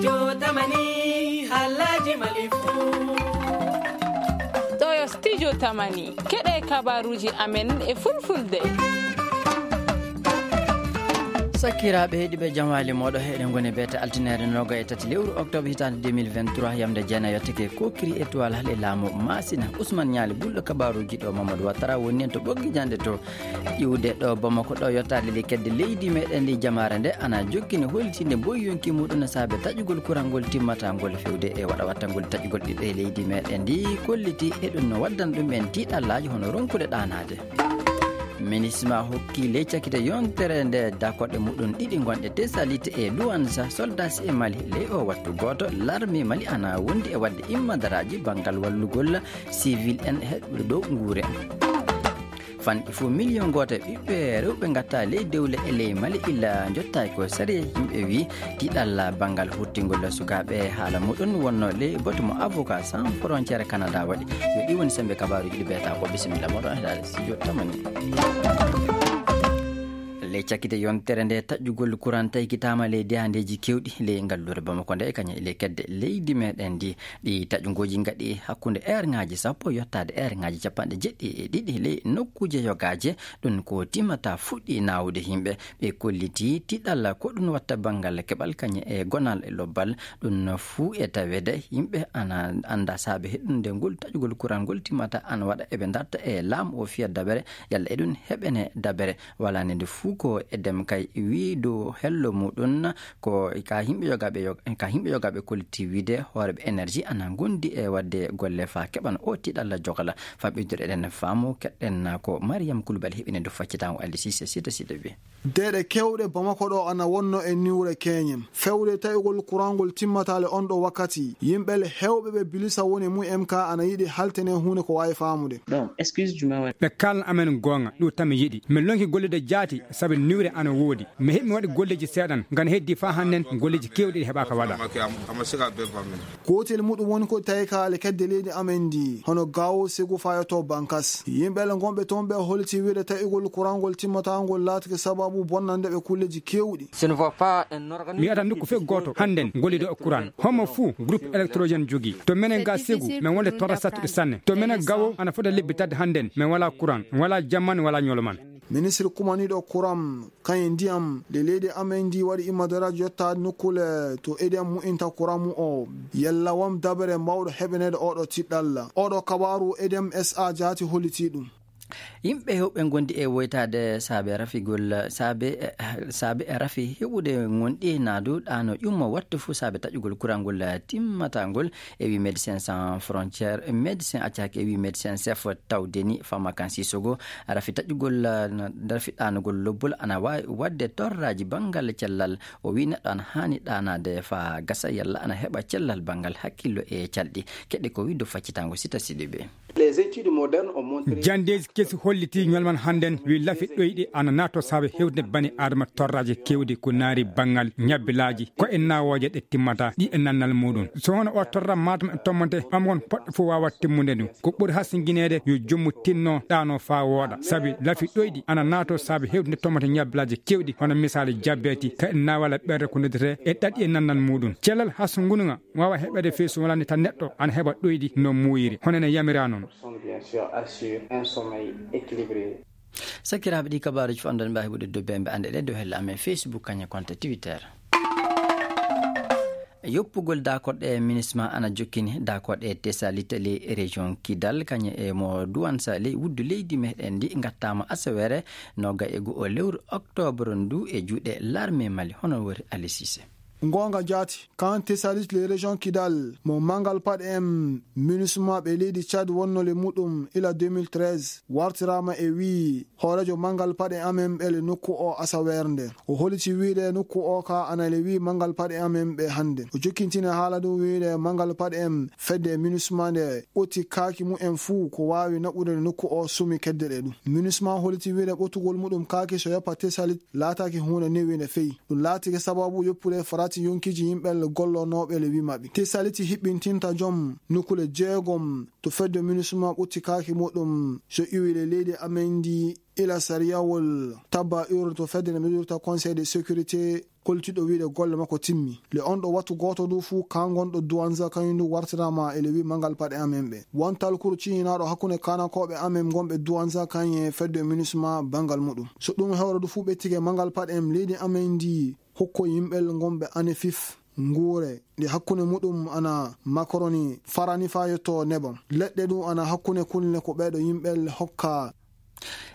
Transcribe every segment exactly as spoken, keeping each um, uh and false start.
Studio Tamani, haalaaji Mali fuu. Ɗo yo Studio Tamani, keɗee kabaaruuji amen e Fulfulde. Sakiraaɓe heɗiiɓe, jam waali mooɗon. Eɗen ngoni beete altineere noogay e tati lewru oktoobar hitaande deux mille vingt-trois, yamnde jeenay yottake kookiri étoile hale laamu Maasina. Usman Ñaali bulɗo kabaaruuji ɗo, Mamadou Wattara woni en to ɓoggi jannde to. Iwde ɗo Bamako ɗo, yottaade le kedde leydi meɗen ndi, jamaare nde ana jokkini hollitinde mboy yonki muɗum saabe taƴugol kurangol timmatangol fewde e waɗa wattangol taƴugol ɓiɓɓe leydi meɗen ndi, kolliti e ɗum no waddana ɗum en tiiɗallaaji hono ronkude ɗaanaade. Minisma hokki ley cakite yontere nde dakoɗe muɗum ɗiɗi gonɗe Tesalite e Luwansa, soldasi e Mali. Ley o wattu gooto, larmi Mali ana wondi e waɗde immadaraaji banngal wallugol sivil en heɗɓe dow nguure. Fanɗi fof miliyon gooto e ɓiɓɓe rewɓe ngatta ley dewle e ley Mali illa njottaaki ko sariya. Yimɓe wi tiɗalla banngal hurtingol sukaaɓe haala muɗum wonno ley batu mo Avocat Sans Frontière Canada waɗi. Yo ɗi woni sembe kabaaruuji ɗi beeta ko. Bisimilla moɗon e daade studio Tamani. Ley cakkite yontere nde taƴƴugol kuran taykitaama ley dehandeeji kewɗi ley ngalluure Bamako nde kañum e ley kedde leydi meɗen ndi. Ɗi taƴungooji ngaɗi hakkunde eerŋaaji sappo yottaade eerŋaaji capanɗe jeɗɗi e ɗiɗi ley nokkuuje yogaaje. Ɗum ko timmata fuɗɗi naawude yimɓe. Ɓe kolliti tiɗal ko ɗum watta banngal keɓal kañum e gonal e lobbal. Ɗum fuu e taweede yimɓe ana annda saabe heɗunde ngol taƴugol kuran ngol timmata ana waɗa eɓe ndarta e laamu o fiya dabere yalla eɗum heɓene dabere. Wala nde nde fuu ko edem kay wii dow hello muɗum. Ko ka yimɓe yogaaɓe yo-, ka yimɓe yogaaɓe kolliti wiide hooreeɓe énergie ana ngondi e waɗde golle faa keɓan o tiɗalla jogala. Faa ɓeydude eɗen faamu keɗɗen ko Mariam Koulibaly heɓini dow faccitango Aldi Sise sita sita wi. Deeɗe kewɗe Bamako ɗo ana wonno e niwre keñen. Fewde taƴugol kurangol timmataale on ɗo wakkati. Yimɓe le hewɓe ɓe bilisa woni mu M K ana yiɗi haltene huunde ko waawi faamude. Ɓe kaalna amen goonga, ɗum tan mi yiɗi. Min lonki gollude jaati, sabi niwre ana woodi. Mi heɓi mi waɗi golleeji seeɗan, ngam heddi faa hannden golleeji keewɗi ɗi heɓaaka waɗa. Gootel muɗum woni ko tawi kaale kedde leydi amen ndi, hono gawo segu faa yotto Bankas. Yimɓe le ngonɓe toon ɓe holiti wiide taƴugol kurangol timmataangol laatake sababu bonnande ɓe kulleeji keewɗi. Mi yi'ataa nokku fey gooto hannden gollido e kuran. Homo fuu groupe électrogène jogii. To menen ga segu, men wonde torra sattuɗo sanne. To menen gawo, ana fota lebbi tati hannden, men walaa kuran, walaa jamman, walaa ɲoloman. Ministre kumaniiɗo kuran, kañum e ndiyam, le leydi amen ndi waɗi immadaraaji yottaade nokkuule to ediyam mu'inta kuran mu o. Yalla won dabere mawɗo heɓaneede oɗo tiɗɗalla. Oɗo kabaaru ediyam S A jaati hollitii ɗum. Yimɓe heewɓe ngondi e woytaade saabe rafigol, saabe, saabe rafi heɓude ngonɗi naadu ɗaano ƴummo wattu fuu saabe taƴugol kurangol timmatangol. E wi Médecins Sans Frontières, médecin accaki e wi médecin chef tawdeni Famakan Sissogo, rafi taƴugol, rafi ɗaanugol lobbol ana waawi waɗde torraaji banngal cellal. O wi neɗɗo ana haani ɗaanaade faa gasa yalla ana heɓa cellal banngal hakkillo e calɗi. Keɗe ko wiɗo faccitango sita siɗi ɓe. Janndeeji kesi hollitii ñolman hannden, wi lafi ɗoyɗi ana naato saabe hewde bani Adama torraaji keewɗi ko naari banngal ñabbilaaji, ko e naawooje ɗe timmata, ɗi e nannal muɗum. So hono o torra Matam e tommante ɓamgon poɗɗo fof waawa timmude ɗum. Ko ɓuri hasingineede yo jommu tinno ɗaano faa wooɗa, sabi lafi ɗoyɗi ana naato saabe hewde tommante ñabbilaaji keewɗi, hono misaali jabbeeti, ka e naawala ɓerde ko noddetee e ɗaɗi e nannal muɗum. Cellal hasungunga waawa heɓeede fey so wonaa ni tan neɗɗo ana heɓa ɗoyɗi no muuyiri, hono ene yamiraa noon. Sakiraaɓe, ɗi kabaaruuji fof anndon mbaawi heɓude dow bembe annde ɗe dow helle amen Facebook kañe compte Twitter. Yoppugol daakoɗe minisma ana jokkini daakoɗe Tesalite ley région Kidal kañe e mo Duwansa ley wuddu leydi meɗen ndi ngattaama asaweere nooga e goo lewru oktoobar ndu e juuɗe larme Mali hono wori Ali Sise. Ngoonga jaati, kan Tesalit le région Kidal, mo Mangal Paɗe en, minusma ɓe leydi Tchad wonnole muɗum ila deux mille treize, wartiraama e wii hooreejo Mangal Paɗe amen ɓe le nokku o asaweere nde. O holiti wiide nokku o ka ana le wii Mangal Paɗe amen ɓe hannde. O jokkintina haala ɗum wiide Mangal Paɗe en fedde minusma nde ɓotti kaaki mumen fuu ko waawi naɓude nokku o sumi kedde ɗe ɗum. Minusma holiti wiide ɓottugol muɗum kaaki so yoppa Tesalit laataaki huunde newiinde fey. Ɗum laatike sababu yoppude farati yonkiiji yimɓe gollonooɓe le wii maɓɓe. Tesaliti hiɓɓintinta jom nokkuule jeegom to fedde minusma ɓotti kaaki muɗum so iwi le leydi amen ndi ila sariyawol tabba urne to fedde nde miɗirta Conseil de sécurité kollitiiɗo wiyde golle makko timmi. Le on ɗo wattu gooto du fuu kaa ngonɗo Duwanza kañum du wartiraama e le wii manngal paɗe amen ɓe. Won talkuru cihinaaɗo hakkunde kaanankooɓe amen ngonɓe Duwanza kañum e fedde Minusma banngal muɗum. So ɗum hewre du fuu ɓettike manngal paɗe en leydi amen ndi hokko yimɓel ngonɓe ane fif nguure ɗi hakkunde muɗum ana makaroni farani faa yotto nebam. Leɗɗe du ana hakkunde kulle ko ɓeeɗo yimɓel hokka.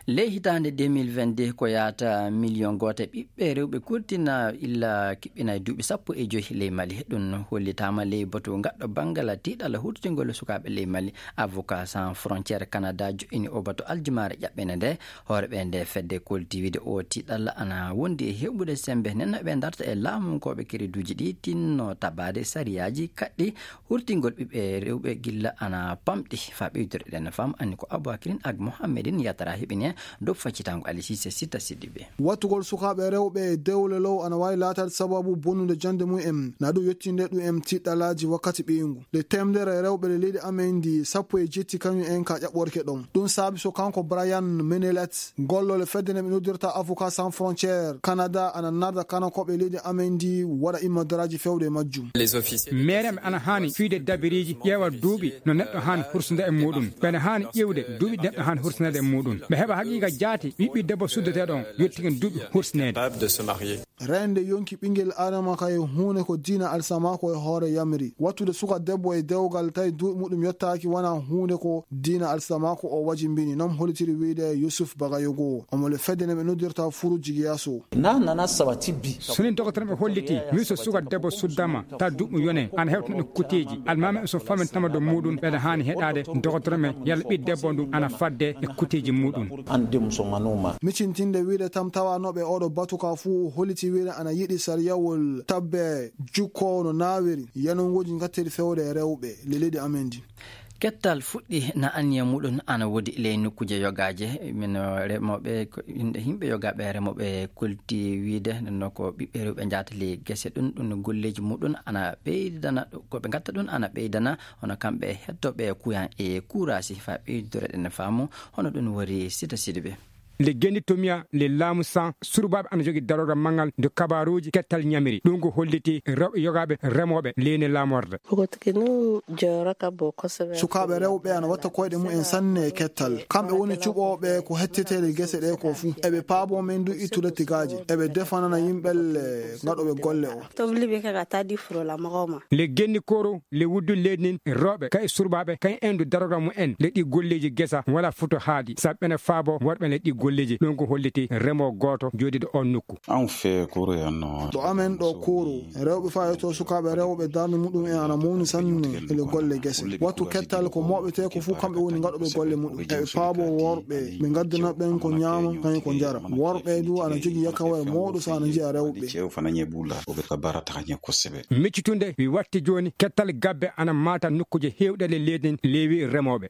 Ley hitaande deux mille vingt-deux ko yaata miliyon gooto ɓiɓɓe rewɓe kurtina illa kiɓɓina e duuɓi sappo e joy ley Mali. Ɗum hollitaama ley batu ngaɗɗo banngal tiiɗalla huutotingol sukaaɓe ley Mali. Avocat Sans Frontières Canada joɗɗini o batu aljumaare ƴaɓɓende nde. Hooreeɓe nde fedde kolti wiide o tiiɗalla ana wondi e heɓude semmbe nenno ɓe ndarta e laamunkooɓe kereduuji ɗi tinno tabaade sariyaaji kaɗɗi hurtingol ɓiɓɓe rewɓe gilla ana pamɗi. Faa ɓeydude ɗen fam anni ko Aboubacrine ak Mohammedine Yatara heɓini en dow faccitango Ali Cissé Sitta Sidibé. Wattugol sukaaɓe rewɓe e dewle low ana waawi laataade sababu bonnude jannde mum en, na ɗum yettinde ɗum en tiiɗalaaji wakkati ɓiyngu. Nde teemedere rewɓe le leydi amen ndi sappo e jetti kañum en ka ƴaɓɓorke ɗon. Ɗum saabi so kanko Brian Menelet, gollooɗo fedde nde ɓe noddirta Avocat Sans Frontières Canada, ana narda kaanankooɓe leydi amen ndi waɗa immodaraaji fewde e majjum. Meereeɓe ana haani fiyde dabireeji, ƴeewa duuɓi no neɗɗo haani hursinda e muuɗum. Ɓe ana haani ƴeewde duuɓi neɗɗo haani hursinede e muuɗum. Ɓe heɓa haqiiqa jaati ɓiɓɓi debbo suddeteeɗo on yottike duuɓi hursineede. Reende yonki ɓinngel Aadama kay huunde ko diina alsamaako e hoore yamiri. Wattude suka debbo e dewgal tawi duuɓi muɗum yottaaki wona huunde ko diina alsamaako o wajimbini, non hollitiri wiyde Yusuf Bagayogo. Omo le fedde nde ɓe noddirta Furu Jigiyaso. Na nana sabati bi. So ni dogotoreeɓe holliti, mi so suka debbo suddama, ta duuɓi yone, ana hewtana ɗum kuteeji. Almaami so famintama dow muuɗum, ɓe ana haani heɗaade dogotoreeɓe yalla ɓii debbo ndu ana fadde e kuteeji muuɗum. An dem so manuma. Micintinde wiyde tam tawanooɓe oɗo batu ka fuu holliti wiyde ana yiɗi sariyawol tabbe jukko no naawiri, yanonguuji ngattiri fewde e rewɓe le leydi amen ndi. Kettal fuɗɗi na anniya muɗum ana woodi ley nokkuuje yogaaje. Min, eh, remooɓe, ko yimɓe, yimɓe yogaaɓe remooɓe kolti wiyde no ko ɓiɓɓe rewɓe njaata ley gese ɗum, ɗum golleeji muɗum ana ɓeydana, ko ɓe ngatta ɗum ana ɓeydana, hono kamɓe hettooɓe kuyan e kuuraasi faa ɓeydore ɗen faamu, hono ɗum wari Sita Sidibe. Le Gendi Tomiya, le laamu san, surbaaɓe ana jogii darorgal manngal nde kabaaruuji kettal ñamiri. Ɗum ko holliti rewɓe yogaaɓe remooɓe leyne laamorde. Sukaaɓe rewɓe ana watta koyɗe mum en sanne e kettal. Kamɓe woni cuɓooɓe ko hetteteeɗe gese ɗe ko fuu. Eɓe paaboo men du ittude tigaaje. Eɓe defanana yimɓe le ngaɗooɓe golle o. Le Gendi Koro, le wuddu leydi nin, rewɓe, kay surbaaɓe, kay endu darorgal mum en, le ɗi golleeji gesa, wala futo haaɗi. Sabi ɓene faabo worɓe le ɗi golleeji. Ɗum ko holliti remoo gooto jooɗiiɗo on nokku. An fee kuru yan no. Ɗo amen ɗo Kuru, rewɓe faa yotto sukaaɓe rewɓe darnde muɗum en ana mawni sanne e le golle gese. Wattu kettal ko mooɓetee ko fuu kamɓe woni ngaɗooɓe golle muɗum. Eɓe paaboo worɓe, ɓe ngaddana ɓen ko ñaama, kañum ko njara. Worɓe du ana jogii yakawere mawɗo so ana njiya rewɓe. Cew fana ñe bula, o ɓe ka bara taxa ñe ko sebe. Miccitunde, mi watti jooni, kettal gabbe ana maata nokkuuje heewɗe le leydi nden leewi remooɓe.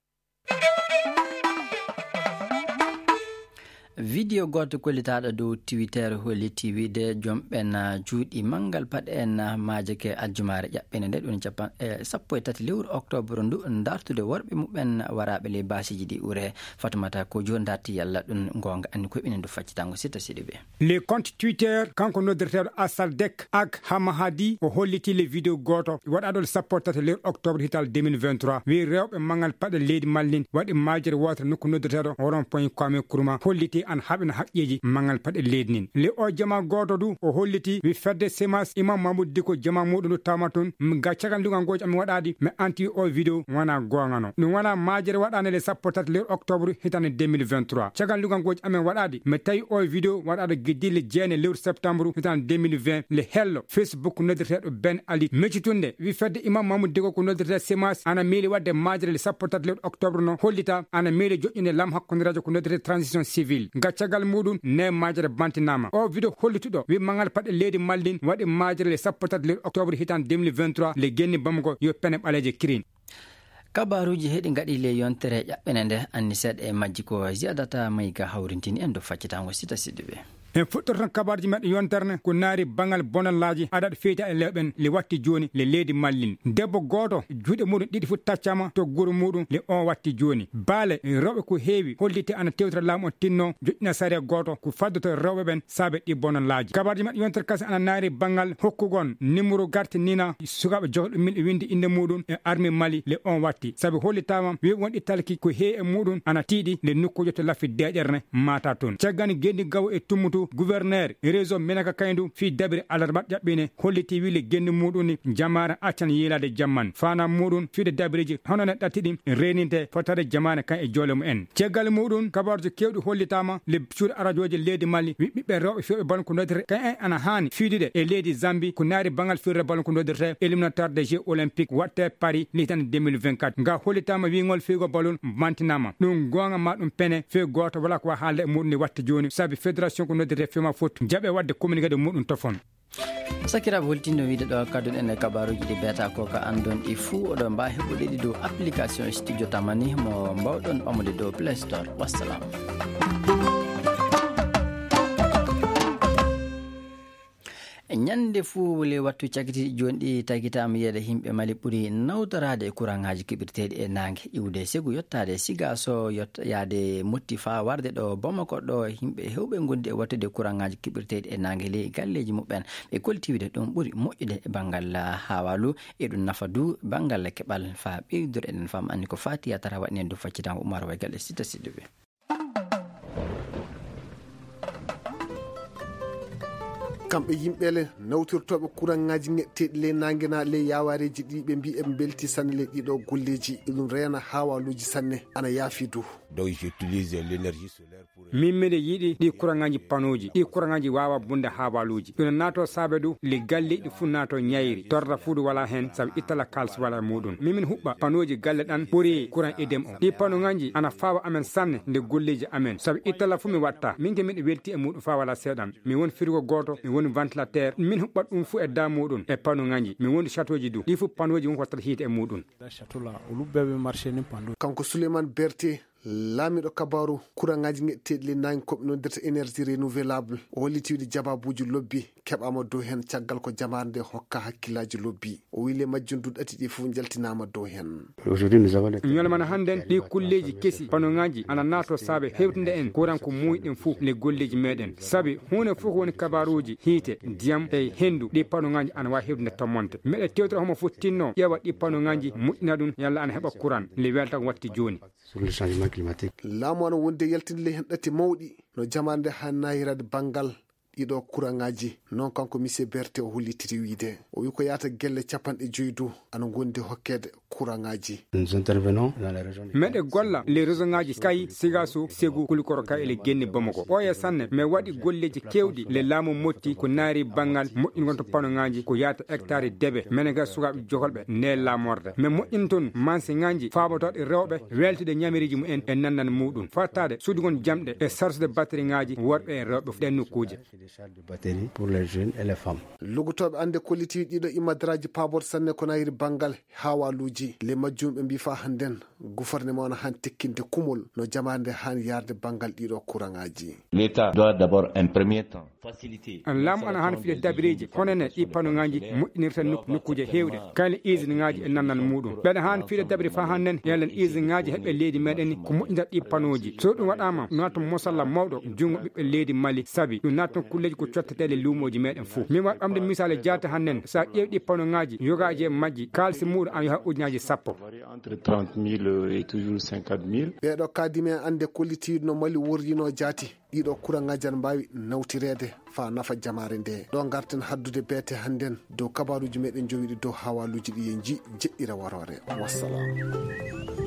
Video gooto kollitaaɗo dow Twitter holliti wiide joom ɓen, ah, juuɗi manngal paɗe en, ah, maajake aljumaare ƴaɓɓende nde, ɗum capan-, eh, sappo e tati lewru oktoobar ndu, ndartude worɓe muɓɓen waraaɓe ley baasiiji ɗi ure. Fatumata Kojo ndarti yalla ɗum ngoonga, anni koye ɓinen ndu faccitango Sita Sidibe. Le compte Twitter, kanko noddirteeɗo Asaldek ak Hamahadi, o holliti le video gooto waɗaaɗo le sappo e tati lewru oktoobar hitaande deux mille vingt-trois. Wi rewɓe manngal paɗe leydi Mali nin waɗi maajere wootere nokku noddirteeɗo Rond-point Kwame Nkrumah, holliti ana haɓina haqqeeji manngal paɗe leydi nin. Le o jama gooto du, o holliti wi fedde Semas Imam Mamoudou Dicko jama muuɗum du tawma tun, m-, ga caggal ndugangooji amin waɗaadi, mi anti o video wana goongano. Ɗum wana maajere waɗaande le sappo e tati lewru oktoobar hitaande deux mille vingt-trois. Caggal ndugangooji amin waɗaadi, mi tawi o video waɗaaɗo giddiille jeenayi lewru septembre hitaande deux mille vingt, le hello Facebook noddirteeɗo Ben Ali. Meccitunde, wi fedde Imam Mamoudou Dicko ko noddirtee Semas, ana miili waɗde maajere le sappo e tati lewru oktoobar no, hollita ana miili joƴƴinde laamu hakkundereejo ko noddirtee transition civile. Ga caggal muuɗum, ne maajere bantinaama. O video hollituɗo, wi manngal paɗe leydi Mali nin waɗi maajere le sappo e tati lewru oktoobar hitaande deux mille vingt-trois, le genni Bamako yo pene ɓaleeje kirin. Kabaaruuji heɗi ngaɗi ley yontere ƴaɓɓene nde, anni seeɗa e majji ko Ziyadata Mayga hawrintini en dow faccitango Sita Sidibe. En fuɗɗoto tan kabaruuji meɗen yontere ne ko naari bangal bonallaaji adaɗo feyta e lewɓe en le watti jooni le leydi Mali. Debbo gooto juuɗe muɗum ɗiɗi fof taccama to guru muɗum le on watti jooni. Baale rewɓe ko heewi holliti ana tewtira laamu on tinno joƴƴina sariya gooto ko faddoto rewɓe ɓen saabe ɗi bonallaaji. Kabaruuji meɗen yontere kadi ana naari bangal hokkugon nimuru garte nina sukaaɓe jotoɗo min e windi innde muɗum e armi Mali le on watti sabi hollitaama wi wonɗi talki ko heewi e muɗum ana tiiɗi nde nokkuujo to laffi deeƴere ne maata toon. Caggal nde genndi gawo e tummutu gouverneur région Menaka Kayndu fii dabiri alarba ƴaɓɓine holliti wille genndi muɗum ni jamaare accan yiilaade jamman faanaa muɗum fiide dabiriji hono ne ɗatti ɗin reeninte fotaade jamaare kan e joole mumen. Caggal muɗum kabaruuji keewɗi hollitaama le cuuɗi arajooji leydi Mali wi ɓiɓɓe rewɓe fewɓe ballon ko noddirte kan en ana haani fiidude e leydi Zambi ko naari bangal firre ballon ko noddirte éliminatoire des jeux olympiques waɗte Paris le hitande deux mille vingt-quatre nga hollitaama wiingol fewgo ballon mantinaama ɗum goonga ma ɗum pene few gooto wala ko waa haalde e muɗum ni watte jooni sabi fédération ko noddirte fewma foot jaɓe waɗde communiqué de muɗum tofon. Sakiraaɓe holtindo wiide ɗo kadduɗen e kabaruuji ɗi beeta ko ka anndon ɗi fuu oɗo mbaa heɓude ɗi dow application studio tamani mo mbawɗon ɓamude dow play store. Wassalam. Ñannde fuu le wattu cakitiiɗi jooni ɗi tagitaama yeeɗa yimɓe Mali ɓuri nawtoraade e kuraŋaaji keɓirteeɗi e naange iwde segu yottaade siga so yot yaade motti faa warde ɗo Bamako ɗo yimɓe heewɓe ngondi e wattude kuraŋaaji keɓirteeɗi e naange ley galleeji muɓɓen. Ɓe kolti wiide ɗum ɓuri moƴƴude e banngal haawaalu e ɗum nafa du banngal keɓal faa ɓeydude eɗen fam anndi ko faati yatara waɗni en du faccitango umar way galle sita sidduɓe. Kamɓe yimɓeele nawtirtooɓe kuraŋŋaaji ŋeɗteeɗi ley naange naa ley yaawaareeji ɗi ɓe mbii eɓe mbeltii sanne ley ɗiiɗoo golleeji. Eɗum reena haawaaluuji sanne ana yaafi duu. Donc j'utilise l'énergie solaire pour. Min miɗo yiɗi ɗii kuraŋaaji panooji ɗii kuraŋaaji waawa bunde haawaaluuji ɗum naatoo saabe duu. Ley galleeji ɗi fuu naatoo ñayri torra fuu duu walaa heen sabi ittala kaalis walaa e muuɗum min min huɓɓa panooji galle ɗan ɓuri kuraŋ idem o ɗii panoŋaaji ana faawa amen sanne nde golleeji amen sabi ittala fuu mi waɗta min ke miɗo weltii e muuɗum faa walaa seeɗan. Mi woni firigo gooto mi woni ventilateur min huɓɓat ɗum fuu e daa muuɗum e panoŋaaji mi woni chatooji duu ɗii fuu panooji won ko wattata hiite e muuɗum. Kanko suleyman berte laamiiɗo kabaaru kuraŋaaji ŋeɗteeɗi ley naange ko ɓe noddirta énergie renouvelable o holliti wiide jabaabuuji lobbi keɓaama dow heen caggal ko jamaare nde hokka hakkillaaji lobbi. O wii ley majjum duɗɗati ɗi fof njaltinaama dow heen. Ñalmana hannden ɗi kulleeji kesi panoŋaaji ana naatoo saabe hewtinde en kuran ko muuyiɗen fof le golleeji meeɗen sabi huunde fof ko woni kabaaruuji hiite ndiyam e henndu ɗi panoŋaaji ana waawi hewtinde tommonte meɗe tewtira homo fof tinno ƴeewa ɗi panoŋaaji moƴƴina ɗum yalla ana heɓa kuran le welta ko watti jooni. Laamu ana wondi e yaltinde ley heen ɗatti mawɗi no jamaare nde haani naayiraade banngal ɗiɗo kuraŋaaji. Noon kanko misie berte o hollitiri wiide o wi ko yaata gelle capanɗe joyi duu ana ngondi hokkeede kuraŋaaji. Meɗe golla ley resoŋaaji kay sigaso segu kulikoro kay ele genni bamako ɓooya sanne mi waɗi golleeji keewɗi le laamu motti ko naari banngal moƴƴingol to panoŋaaji ko yaata hectare debe mene ga sukaaɓe jokolɓe nde laamorde mi moƴƴin toon mansiŋaaji faabotooɗe rewɓe weltude ñamiriiji mumen e nanndal muuɗum fattaade sudugol jamɗe e sarsude batteriŋaaji worɓe e rewɓe ɗen nokkuuje. Lugotooɓe annde kollitiiɗi ɗiɗo imadaraaji paaboto sanne ko nayiri banngal haawaaluuji le majjum ɓe mbii faa hannden gufarnema on han tekkinde kumol no jamaare nde han yaarde banngal ɗiɗo kuraŋaaji. L'état doit d'abord un premier temps faciliter. Laamu ana haani fiɗe dabireeji hono ne ɗi panoŋaaji moƴƴinirta nokkuuje heewɗe kayla usine ŋaaji e nannal muuɗum ɓeɗa haani fiɗe dabiri faa hannen yallen usine ŋaaji heɓe leydi meɗen ko moƴƴinta ɗi panooji so ɗum waɗaama naata mosalla mawɗo junngo ɓiɓɓe leydi mali sabi ɗum naata kulleeji ko cotteteeɗe luumooji meɗen fof min waɗ ɓamde misaali jaate hannen so a ƴeewi ɗi panoŋaaji yogaaji e majji kaalisi muuɗum ana yaha ujunaaji sappo. Entre trente mille et toujours cinquante mille. Ɓeeɗo kaadimi en annde kollitiiɗo no mali worrinoo jaati. Ɗiɗo kuraŋaaji ana mbaawi nawtireede faa nafa jamaare ndee ɗo ngarten haddude beete hannden dow kabaaruuji meɗen jowiɗi dow haawaaluuji ɗi en njii jeɗɗira waroore. Wassalam.